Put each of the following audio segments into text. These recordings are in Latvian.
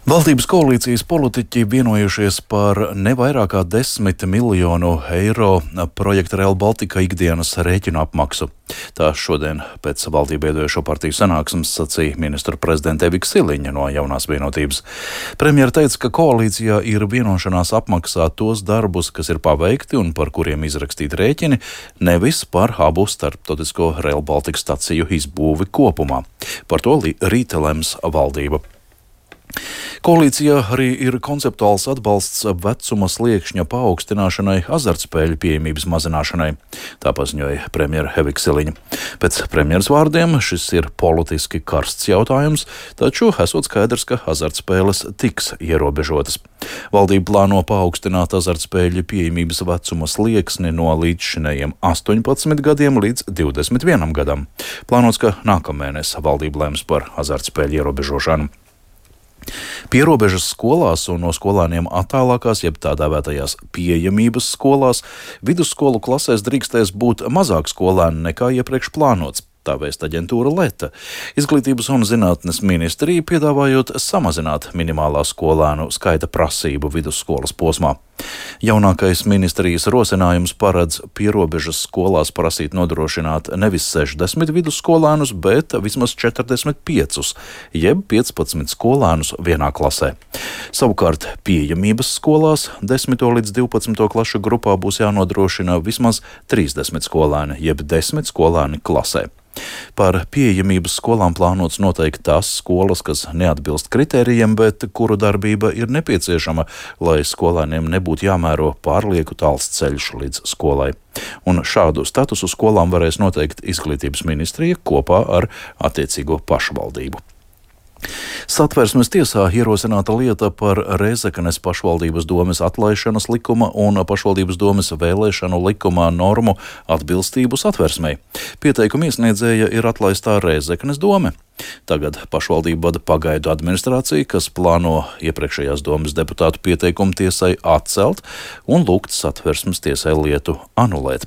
Valdības koalīcijas politiķi vienojušies par ne vairāk kā 10 miljonu eiro projekta Rail Baltica ikdienas rēķinu apmaksu. Tā šodien pēc valdību veidojošo partiju sanāksmes sacīja ministra prezidente Evika Siliņa no Jaunās vienotības. Premjera teica, ka koalīcijā ir vienošanās apmaksāt tos darbus, kas ir paveikti un par kuriem izrakstīti rēķini, nevis par abu starptautisko Rail Baltica staciju izbūvi kopumā. Par to rīt lems valdība. Koalīcijā arī ir konceptuāls atbalsts vecuma sliekšņa paaugstināšanai, azartspēļu pieejamības mazināšanai. Tā paziņoja premjera Evika Siliņa. Pēc premjeras vārdiem šis ir politiski karsts jautājums, taču esot skaidrs, ka azartspēles tiks ierobežotas. Valdība plāno paaugstināt azartspēļu pieejamības vecuma slieksni no līdzšinējiem 18 gadiem līdz 21 gadam. Plānots, ka nākamēnes valdība lems par azartspēļu ierobežošanu. Pierobežas skolās un no skolēniem attālākās, jeb tā dēvētajās pieejamības skolās, vidusskolu klasēs drīkstēs būt mazāk skolēnu nekā iepriekš plānots. Tā vēsta aģentūra Leta. Izglītības un zinātnes ministrija piedāvājot samazināt minimālā skolēnu skaita prasību vidusskolas posmā. Jaunākais ministrijas rosinājums paredz pierobežas skolās prasīt nodrošināt nevis 60 vidusskolēnus, bet vismaz 45, jeb 15 skolēnus vienā klasē. Savukārt pieejamības skolās 10. līdz 12. klašu grupā būs jānodrošina vismaz 30 skolēni, jeb 10 skolēni klasē. Par pieejamības skolām plānots noteikt tās skolas, kas neatbilst kritērijiem, bet kuru darbība ir nepieciešama, lai skolēniem nebūtu jāmēro pārlieku tāls ceļš līdz skolai. Un šādu statusu skolām varēs noteikt Izglītības ministrija kopā ar attiecīgo pašvaldību. Satversmes tiesā ierosināta lieta par Rēzeknes pašvaldības domes atlaišanas likuma un pašvaldības domes vēlēšanu likumā normu atbilstību Satversmei. Pieteikuma iesniedzēja ir atlaistā Rēzeknes dome. Tagad pašvaldība vada pagaidu administrāciju, kas plāno iepriekšējās domes deputātu pieteikumu tiesai atcelt un lūgt Satversmes tiesai lietu anulēt.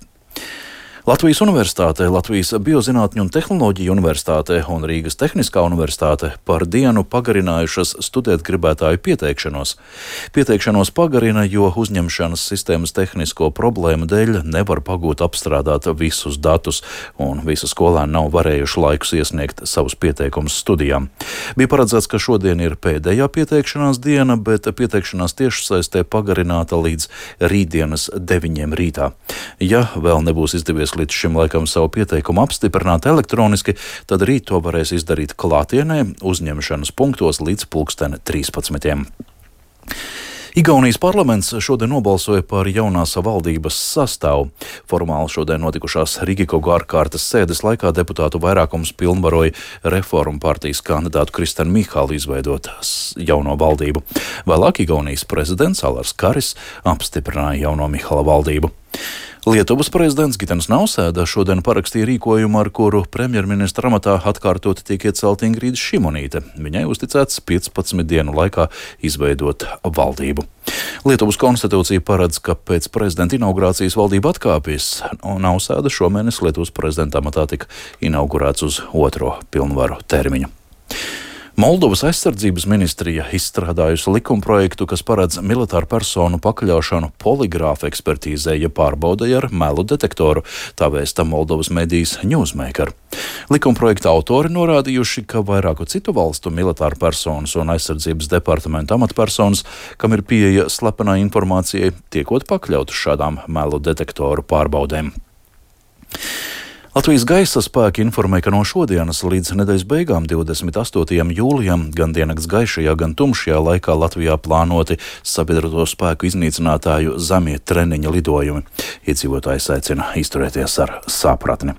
Latvijas Universitāte, Latvijas Biozinātņu un tehnoloģiju universitāte un Rīgas Tehniskā universitāte par dienu pagarinājušas studēt gribētāju pieteikšanos. Pieteikšanos pagarina, jo uzņemšanas sistēmas tehnisko problēmu dēļ nevar pagūt apstrādāt visus datus, un visi skolēni nav varējuši laikus iesniegt savus pieteikumus studijām. Bija paredzēts, ka šodien ir pēdējā pieteikšanās diena, bet pieteikšanās tiešsaistē pagarināta līdz rītdienas 9 rītā. Ja vēl nebūs izdevies līdz šim laikam savu pieteikumu apstiprināt elektroniski, tad rīt to varēs izdarīt klātienē uzņemšanas punktos līdz 13. Igaunijas parlaments šodien nobalsoja par jaunās valdības sastāvu. Formāli šodien notikušās Rīgikogu ārkārtas sēdes laikā deputātu vairākums pilnvaroja Reformu partijas kandidātu Kristenu Mihalu izveidot jauno valdību. Vēlāk Igaunijas prezidents Alars Karis apstiprināja jauno Mihala valdību. Lietuvas prezidents Gitanas Nausēda šodien parakstīja rīkojumu, ar kuru premjerministra amatā atkārtoti tiek iecelta Ingrīda Šimonīte. Viņai uzticēts 15 dienu laikā izveidot valdību. Lietuvas konstitūcija paredz, ka pēc prezidenta inaugurācijas valdība atkāpjas, un Nausēda šomēnes Lietuvas prezidenta amatā tika inaugurēts uz 2. pilnvaru termiņu. Moldovas aizsardzības ministrija izstrādājusi likumprojektu, kas paredz militāru personu pakļaušanu poligrāfa ekspertīzē, ja pārbaudai ar melu detektoru, tā vēsta Moldovas medijas Newsmaker. Likumprojekta autori norādījuši, ka vairāku citu valstu militāru personas un aizsardzības departamenta amatpersonas, kam ir pieeja slepenai informācijai, tiekot pakļautas šādām melu detektoru pārbaudēm. Latvijas gaisa spēki informē, ka no šodienas līdz nedēļas beigām 28. jūlijam gan diennakts gaišajā, gan tumšajā laikā Latvijā plānoti sabiedroto spēku iznīcinātāju zemie treniņa lidojumi. Iedzīvotājs aicina izturēties ar sapratni.